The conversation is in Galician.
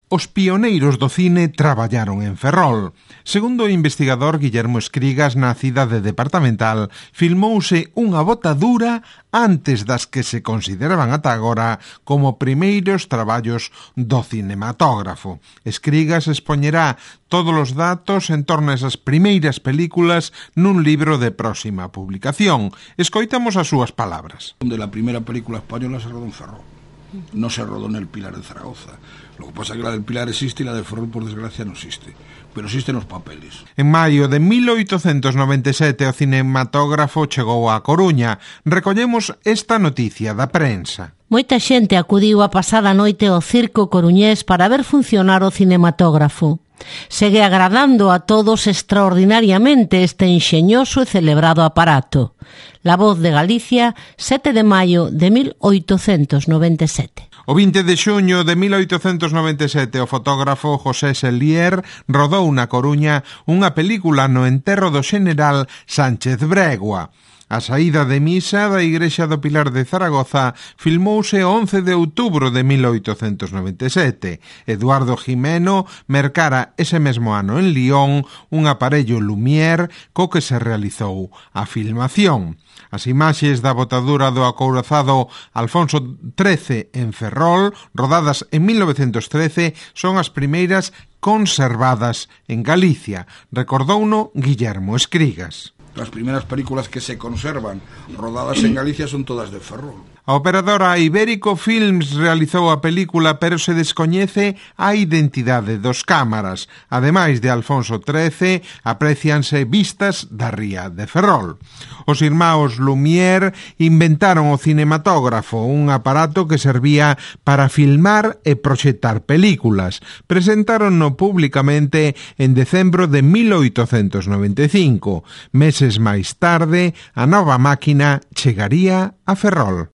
Os pioneiros do cine traballaron en Ferrol. Segundo o investigador Guillermo Escrigas, na cidade departamental, filmouse unha botadura antes das que se consideraban ata agora como primeiros traballos do cinematógrafo. Escrigas expoñerá todos os datos en torno a esas primeiras películas nun libro de próxima publicación. Escoitamos as súas palabras. La primeira película española se rodó en Ferrol. No se rodó en el Pilar de Zaragoza. Lo que pasa es que la del Pilar existe y la de Ferrol, por desgracia, no existe. Pero existen los papeles. En maio de 1897 o cinematógrafo chegou á Coruña. Recollemos esta noticia da prensa. Moita xente acudiu a pasada noite ao circo coruñés para ver funcionar o cinematógrafo. Segue agradando a todos extraordinariamente este enxeñoso e celebrado aparato. La Voz de Galicia, 7 de maio de 1897. O 20 de xuño de 1897 o fotógrafo José Sellier rodou na Coruña unha película no enterro do xeneral Sánchez Bregua. A saída de misa da Igrexa do Pilar de Zaragoza filmouse o 11 de outubro de 1897. Eduardo Jimeno mercara ese mesmo ano en Lyon un aparello Lumière co que se realizou a filmación. As imaxes da botadura do acorazado Alfonso XIII en Ferrol, rodadas en 1913, son as primeiras conservadas en Galicia. Recordouno Guillermo Escrigas. Las primeras películas que se conservan rodadas en Galicia son todas de Ferrol. A operadora Ibérico Films realizou a película, pero se descoñece a identidade dos cámaras. Ademais de Alfonso XIII, aprecianse vistas da ría de Ferrol. Os irmáns Lumière inventaron o cinematógrafo, un aparato que servía para filmar e proxectar películas. Presentárono públicamente en decembro de 1895. Meses máis tarde, a nova máquina chegaría a Ferrol.